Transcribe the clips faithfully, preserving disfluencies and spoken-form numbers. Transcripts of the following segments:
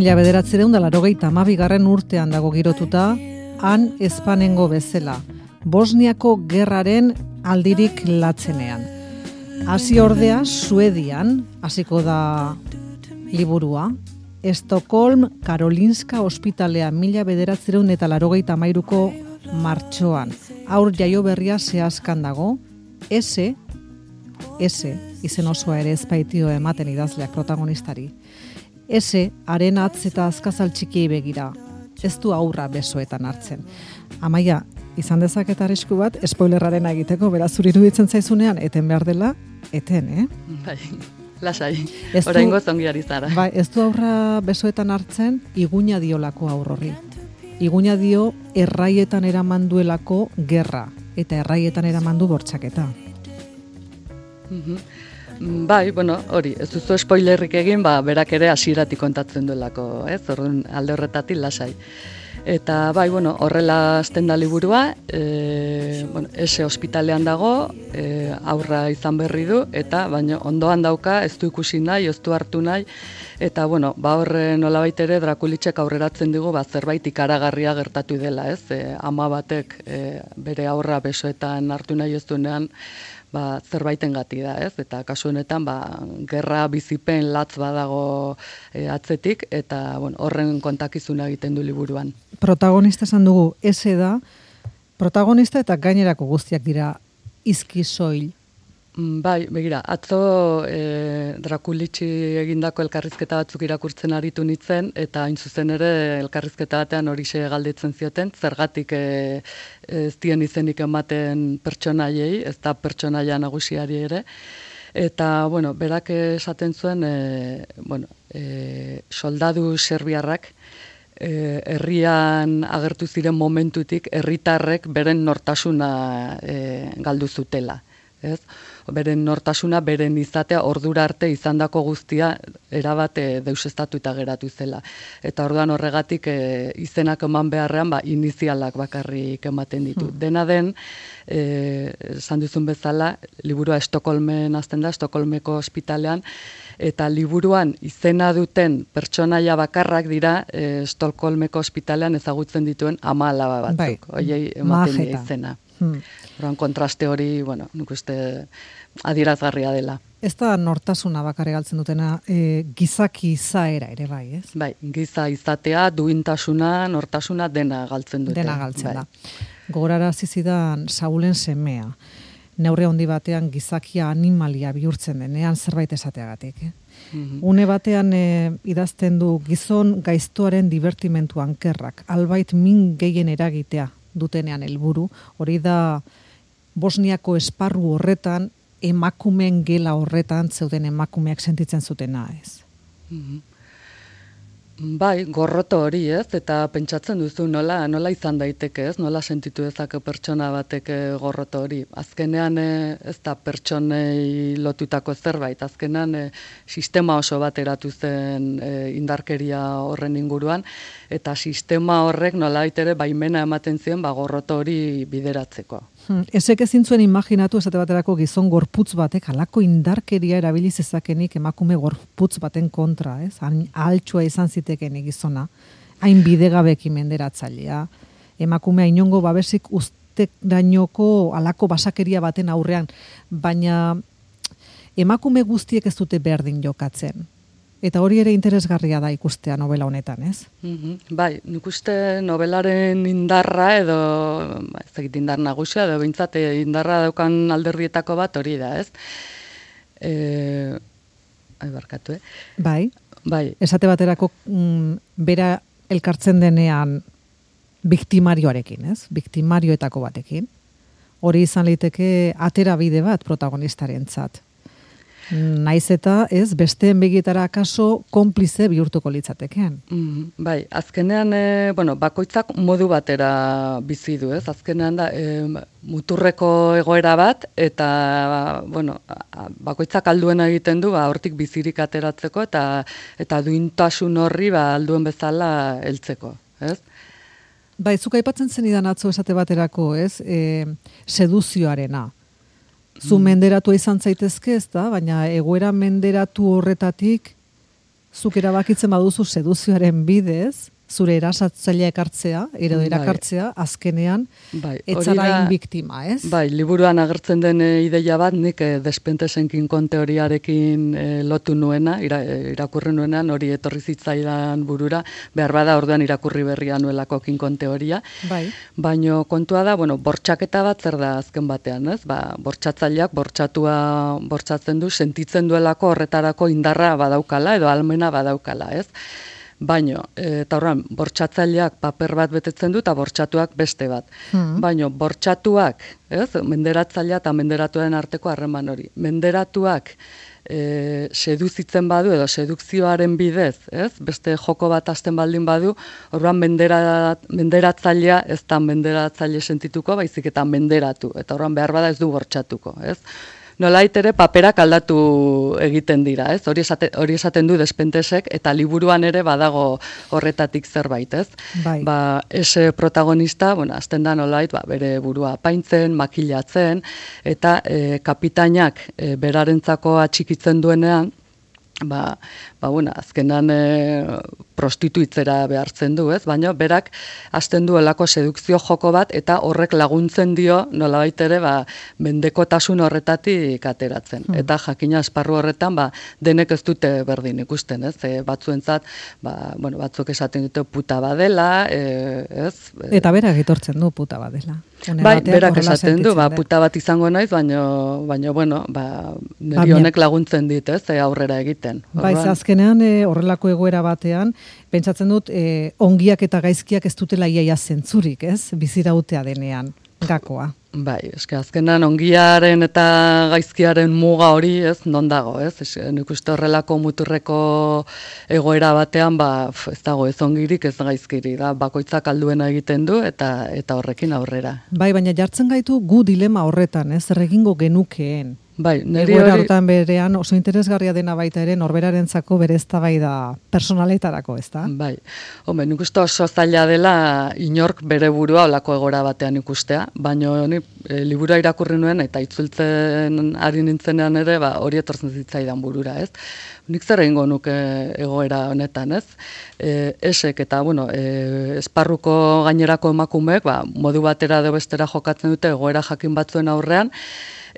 Mila bederatzireun da larogeita hamabigarren urtean dago girotuta, han Espanengo bezala, Bosniako gerraren aldirik latzenean. Hasi ordea, Suedian, hasiko da liburua, Estocolm Karolinska ospitalea mila bederatzireun eta larogeita hamairuko martxoan. Aur jaio berria zehazkan dago, S, S, izen osoa ere ezpaitio ematen idazleak protagonistari. S, haren atz eta azkazal txikiei begira, ez du aurra besoetan hartzen. Amaia, izan dezaket arrisku bat, spoilerraren egiteko, beraz zuri iruditzen zaizunean, eten behar dela, eten, eh? Bai. Lasai, oraingo zongiari zara. Bai, ez du aurra besoetan hartzen, iguna diolako aur horri. Iguna dio erraietan eraman duelako gerra, eta erraietan eraman du bortxaketa. Mm-hmm. Bai, bueno, hori, ez duzu spoilerrik egin, ba, berak ere hasieratik kontatzen duelako, ez? Orduan alde horretatik lasai. Eta bai, bueno, horrela hasten da liburua, e, bueno, ese ospitalean dago, e, aurra izan berri du, eta baina ondoan dauka, ez du ikusi nahi, ez du hartu nahi, eta bueno, ba horre nolabait ere Drakulitzek aurreratzen digu, ba zerbait ikaragarria gertatu dela, ez? E, ama batek e, bere aurra besoetan hartu nahi ez duenean, ba, zerbaiten gati da, ez? Eta kasu honetan, ba, gerra bizipen latz badago e, atzetik, eta bueno, horren kontakizuna egiten du liburuan. Protagonista esan dugu, ese da, protagonista eta gainerako guztiak dira izki soil. Bai, begira, atzo e, Drakulitzi egindako elkarrizketa batzuk irakurtzen aritu nintzen, eta hain zuzen ere elkarrizketa batean horixe galdetzen zioten, zergatik e, ez dien izenik ematen pertsonaiei, ez da pertsonaia nagusiari ere, eta, bueno, berak esaten zuen, e, bueno, e, soldadu serbiarrak, e, herrian agertu ziren momentutik, herritarrek beren nortasuna e, galdu zutela, ez? Beren nortasuna, beren izatea, ordura arte izandako guztia erabat e, deusestatuta geratu zela. Eta orduan horregatik e, izenak eman beharrean, ba, inizialak bakarrik ematen ditu. Hmm. Dena den, e, esan duzun bezala, liburua Estokolmen hasten da, Estokolmeko ospitalean, eta liburuan izena duten pertsonaia bakarrak dira e, Estokolmeko ospitalean ezagutzen dituen ama alaba batzuk. Bai, Oiei ematen majeta. die izena. Hmm. Orduan kontraste hori, bueno, nik uste adierazgarria dela. Ez da nortasuna bakarrik galtzen dutena, e, gizaki izaera ere bai, ez? Bai, giza izatea, duintasuna, nortasuna dena galtzen dute. Dena galtzen bai. da. Gogorara zizidan Saulen semea. Neurri handi batean gizakia animalia bihurtzen denean zerbait esateagatik. Eh? Mm-hmm. Une batean e, idazten du gizon gaiztoaren divertimentu ankerrak, albait min gehien eragitea dutenean helburu, hori da Bosniako esparru horretan, emakumeen gela horretan zeuden emakumeak sentitzen zutena, ez? Mm-hmm. Bai, gorroto hori, ez? Eta pentsatzen duzu nola nola izan daiteke, ez? Nola sentitu dezake pertsona batek gorroto hori. Azkenean ez da pertsonei lotutako zerbait, azkenean e, sistema oso bat eratu zen e, indarkeria horren inguruan, eta sistema horrek nolabait ere baimena ematen zien ba gorroto hori bideratzeko. Hmm, ezek ezin zuen imaginatu esate baterako gizon gorputz batek halako indarkeria erabili zezakenik emakume gorputz baten kontra, ez? Ahaltsua izan zitekenik gizona, hain bidegabeki menderatzailea, emakumea inongo babesik usterainoko halako basakeria baten aurrean, baina emakume guztiek ez dute berdin jokatzen. Eta hori ere interesgarria da ikustea novela honetan, ez? Mm-hmm. Bai, nik uste novelaren indarra edo, ez dakit indar nagusia, edo behintzat indarra daukan alderrietako bat hori da, ez? E, ai, barkatu, eh? Bai, bai. Esate baterako mm, bera elkartzen denean biktimarioarekin, ez? Biktimarioetako batekin. Hori izan liteke atera bide bat protagonistarentzat. Naiz eta ez besteen begitara akaso konplize bihurtuko litzateken. Mm, bai, azkenean e, bueno, bakoitzak modu batera bizi du, ez? Azkenean da e, muturreko egoera bat eta bueno, bakoitzak alduena egiten du, ba hortik bizirik ateratzeko eta eta duintasun horri ba alduen bezala heltzeko, ez? Bai, zuk aipatzen zenidan atzo esate baterako, ez? E, seduzioarena. Zu menderatua izan zaitezke, ez da, baina egoera menderatu horretatik Zuk erabakitzen baduzu seduzioaren bidez, zure erasatzailea ekartzea, edo erakartzea, azkenean, bai, etzara hain biktima, ez? Bai, liburuan agertzen den e, ideia bat, nik e, Despentezen kinkon teoriarekin e, lotu nuena, ira, e, irakurri nuenan, hori etorri zitzaidan burura, behar bada orduan irakurri berria nuelako kinkon teoria. Bai. Baino kontua da, bueno, bortxaketa bat zer da azken batean, ez? Ba, bortxatzaileak bortxatua bortxatzen du, sentitzen duelako horretarako indarra badaukala, edo almena badaukala, ez? Baino, eta horren, bortxatzaileak paper bat betetzen du eta bortxatuak beste bat. Hmm. Baino, bortxatuak, ez, menderatzailea eta menderatuaren arteko harreman hori. Menderatuak e, seduzitzen badu edo sedukzioaren bidez, ez, beste joko bat hasten baldin badu, horren menderat, menderatzailea ez da menderatzaile sentituko, baizik eta menderatu. Eta horren behar bada ez du bortxatuko, ez. Nolait ere paperak aldatu egiten dira, ez? Hori esaten, hori esaten du Despentesek eta liburuan ere badago horretatik zerbait, ez? Bai. Ba, ese protagonista, bueno, azten da nolait, ba, bere burua apaintzen, makilatzen, eta e, kapitainak e, berarentzako atxikitzen duenean, ba, ba bueno, azkenan e, prostituitzera behartzen du, ez? Baina berak hasten duelako sedukzio joko bat eta horrek laguntzen dio nolabait ere ba mendekotasun horretatik ateratzen. Hmm. Eta jakina esparru horretan ba denek ez dute berdin ikusten, ez? E, batzuentzat ba bueno, batzuk esaten dute puta badela, e, ez? Eta berak etortzen du puta badela. Bai, berak esaten du, ba puta bat izango naiz, baina baina bueno, ba niri honek laguntzen dit, ez? E, aurrera egiten. Bai, azkenean e, horrelako egoera batean pentsatzen dut, eh, ongiak eta gaizkiak ez dutela iaia zentzurik, ez? Bizirautea denean, gakoa. Bai, eske azkenan ongiaren eta gaizkiaren muga hori, ez, non dago, ez? Es, nik uste horrelako muturreko egoera batean, ba, ez dago ez ongirik, ez gaizkiri, da, bakoitzak alduena egiten du, eta eta horrekin aurrera. Bai, baina jartzen gaitu gu dilema horretan, ez? Zer egingo genukeen. Bai, niri egoera hori... hortan berean oso interesgarria dena baita ere norberarentzako bere eztabaida personaletarako, ezta? Bai. Hombre, nik uste oso zaila dela inork bere burua olako egora batean ikustea, baina ni e, liburua irakurri nuen eta itzultzen ari nintzenean ere, ba, hori etortzen zitzaidan burura, ez? Nik zer egingo nuke egoera honetan, ez? E, esek eta, bueno, e, esparruko gainerako emakumeek, ba, modu batera edo bestera jokatzen dute egoera jakin batzuen aurrean,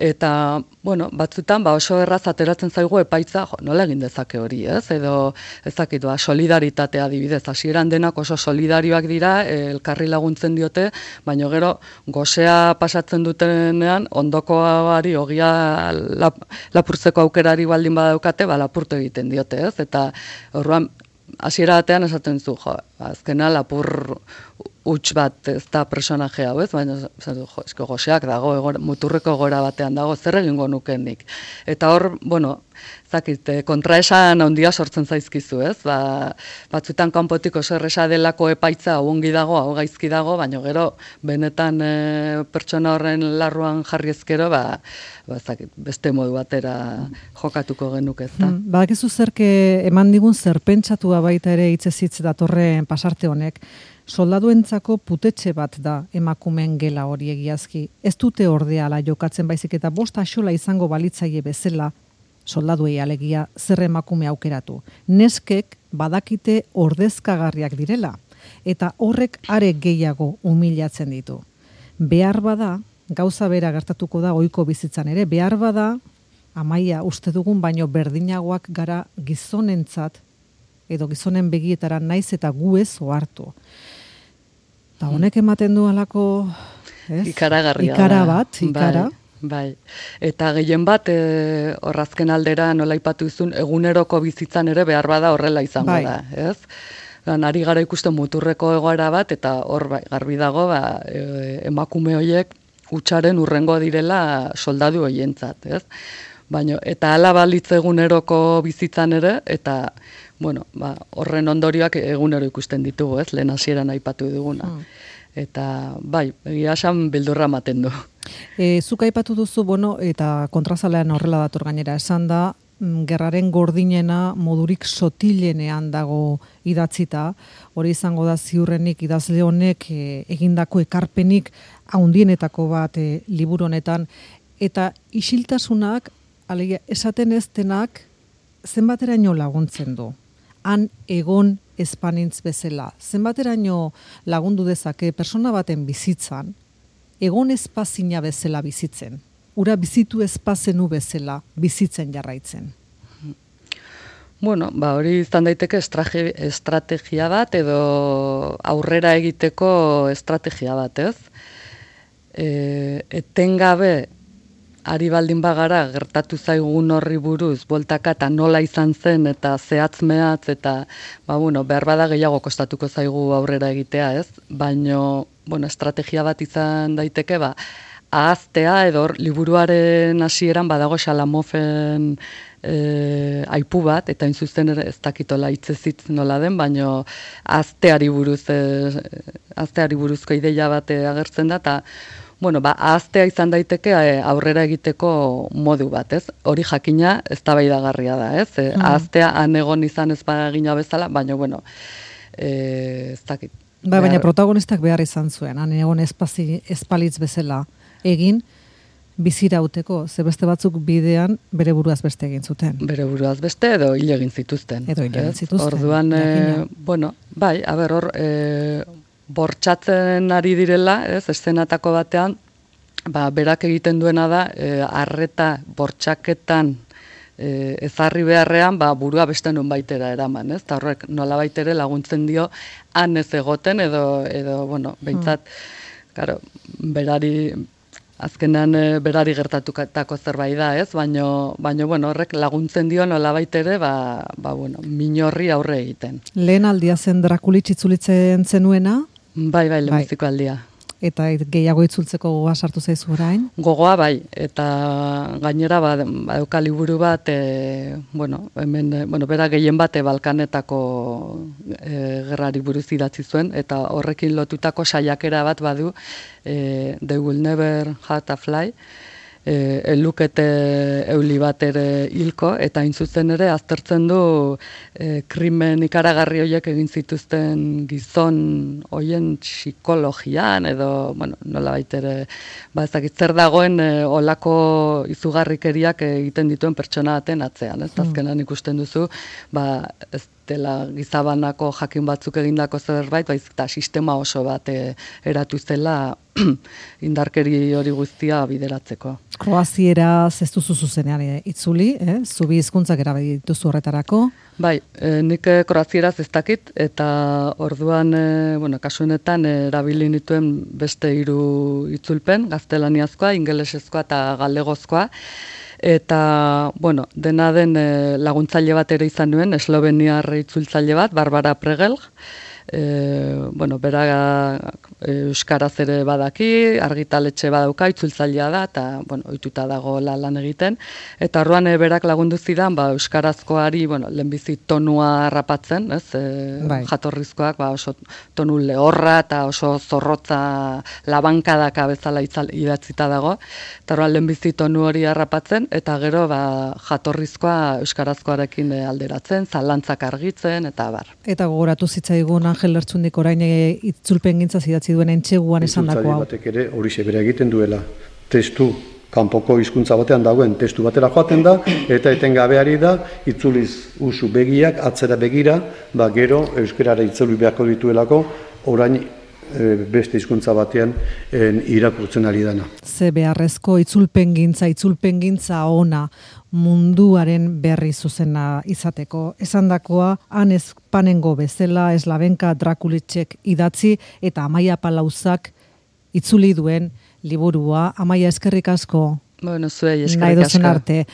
eta, bueno, batzutan ba oso erraz ateratzen zaigu epaitza, jo, nola egin dezake hori, ez? Edo ezakit, ba, solidaritatea adibidez, hasieran denak oso solidarioak dira, elkarri laguntzen diote, baina gero gosea pasatzen dutenean ondokoari ogia lap, lapurtzeko aukerari baldin badaukate, ba lapurtu egiten diote, ez? Eta orduan hasiera batean esaten zu, jo, azkena lapur huts bat ez da personaje hau, ez? Baina jo, eske goseak dago, egor, muturreko gora batean dago, zer egingo nukenik. Eta hor, bueno, zakit, kontraesan handia sortzen zaizkizu, ez? Ba, batzutan kanpotik oso erresa delako epaitza hau ongi dago, hau gaizki dago, baina gero benetan e, pertsona horren larruan jarri ezkero, ba, ba zakit, beste modu batera jokatuko genuke, ezta? Hmm, badakizu zerke eman digun zerpentsatua baita ere hitzez hitz datorren pasarte honek. Soldaduentzako putetxe bat da emakumeen gela hori egiazki. Ez dute ordeala jokatzen baizik eta bost axola izango balitzaile bezala soldaduei alegia zer emakume aukeratu. Neskek badakite ordezkagarriak direla eta horrek are gehiago humilatzen ditu. Behar bada, gauza bera gertatuko da ohiko bizitzan ere, behar bada, Amaia, uste dugun baino berdinagoak gara gizonentzat edo gizonen begietara naiz eta gu ez ohartu. Eta honek ematen du alako, ez? Ikaragarria ikara da. bat, ikara. Bai, bai. Eta gehien bat, e, horrazken aldera nola aipatu duzun, eguneroko bizitzan ere behar bada horrela izango bai. da, ez? Ari gara ikusten muturreko egoera bat, eta hor bai, garbi dago, ba, e, emakume horiek hutsaren urrengo direla soldadu hoientzat, ez? Baina, eta hala balitz eguneroko bizitzan ere, eta bueno, ba, horren ondorioak egunero ikusten ditugu, ez? Lehen hasieran aipatu duguna. Mm. Eta bai, egia esan beldurra ematen du. E, zuk aipatu duzu, bueno, eta kontrazalean horrela dator gainera esan da, gerraren gordinena modurik sotilenean dago idatzita, hori izango da ziurrenik idazle honek e, egindako ekarpenik handienetako bat e, liburu honetan, eta isiltasunak, alegia, esaten ez denak zenbateraino laguntzen du. han egon espanintz bezala. Zenbateraino lagundu dezake persona baten bizitzan, egon espazina bezala bizitzen. Ura bizitu espazenu bezala bizitzen jarraitzen. Bueno, ba, hori izan daiteke estrategia bat edo aurrera egiteko estrategia bat, ez? E, etengabe ari baldin bagara gertatu zaigun horri buruz, bueltaka eta nola izan zen eta zehatz mehatz eta ba, bueno, behar bada gehiago kostatuko zaigu aurrera egitea, ez? Baino, bueno, estrategia bat izan daiteke, ba, ahaztea edo liburuaren hasieran badago Xalamofen E, aipu bat, eta inzuzen ere ez dakitola hitzezitz nola den, baino ahazteari buruz, e, ahazteari buruzko ideia bat agertzen da, eta bueno, ba, ahaztea izan daiteke e, aurrera egiteko modu bat, ez? Hori jakina eztabaidagarria da, ez? E, mm. Ahaztea han egon izan ez bagina bezala, baino, bueno, e, ez dakit. Ba, baina protagonistak behar izan zuen, han egon espazi, espalitz bezala egin, bizirauteko, ze beste batzuk bidean bere buruaz beste egin zuten. Bere buruaz beste edo hil egin zituzten. Edo hil egin zituzten. Orduan, e, bueno, bai, a ber, hor, e, bortxatzen ari direla, ez, eszenatako batean, ba, berak egiten duena da, e, arreta bortxaketan e, ezarri beharrean, ba, burua beste nun baitera eraman, ez, eta horrek nola baitere laguntzen dio han ez egoten, edo, edo bueno, behintzat, mm. Claro, berari, azkenan e, berari gertatutako zerbait da, ez? Baino, baino bueno, horrek laguntzen dio nolabait ere, ba, ba bueno, minorri aurre egiten. Lehen aldia zen Drakulich itzulitzen zenuena? Bai, bai, lehenbiziko aldia. Eta gehiago itzultzeko gogoa sartu zaizu orain? Gogoa bai, eta gainera ba, badauka liburu bat, e, bueno, hemen, bueno, bera gehien bate Balkanetako e, gerrari buruz idatzi zuen, eta horrekin lotutako saiakera bat badu, e, They Will Never Hurt a Fly, e, elukete euli bat ere hilko, eta intzuzen ere aztertzen du e, krimen ikaragarri horiek egin zituzten gizon hoien psikologian, edo, bueno, nola baitere, ba ezakit zer dagoen e, olako izugarrikeriak egiten dituen pertsona baten atzean, ez? Azkenan ikusten duzu, ba, ez dela gizabanako jakin batzuk egindako zerbait, baizik eta sistema oso bat e, eratu zela indarkeri hori guztia bideratzeko. Kroazieraz ez duzu zuzenean e, itzuli, eh? Zubi hizkuntzak erabili dituzu horretarako? Bai, e, nik kroazieraz ez dakit, eta orduan, e, bueno, kasu honetan e, erabili nituen beste hiru itzulpen, gaztelaniazkoa, ingelesezkoa eta galegozkoa, eta, bueno, dena den e, laguntzaile bat ere izan nuen, esloveniar itzultzaile bat, Barbara Pregel, e, bueno, bera e, euskaraz ere badaki, argitaletxe badauka, itzultzailea da, eta, bueno, ohituta dago lan egiten, eta orduan e, berak lagundu zidan, ba, euskarazkoari, bueno, lehenbizi tonua harrapatzen, ez, e, bai. Jatorrizkoak, ba, oso tonu lehorra eta oso zorrotza labankadaka bezala idatzita dago, eta orduan lehenbizi tonu hori harrapatzen, eta gero, ba, jatorrizkoa euskarazkoarekin alderatzen, zalantzak argitzen, eta bar. Eta gogoratu zitzaigun Angel Lertxundik orain itzulpen gintzaz idatzi duen entxeguan esan dako hau. Batek ere hori bera egiten duela. Testu, kanpoko hizkuntza batean dagoen testu batera joaten da, eta etengabeari da, itzuliz usu begiak, atzera begira, ba gero euskarara itzuli beharko dituelako, orain beste hizkuntza batean en, irakurtzen ari dana. Ze beharrezko itzulpengintza, itzulpengintza ona munduaren berri zuzena izateko. Esandakoa han Espanengo bezala Eslavenka Drakulichek idatzi eta Amaia Palauzak itzuli duen liburua. Amaia, eskerrik asko. Bueno, zuei eskerrik asko. Nahi arte.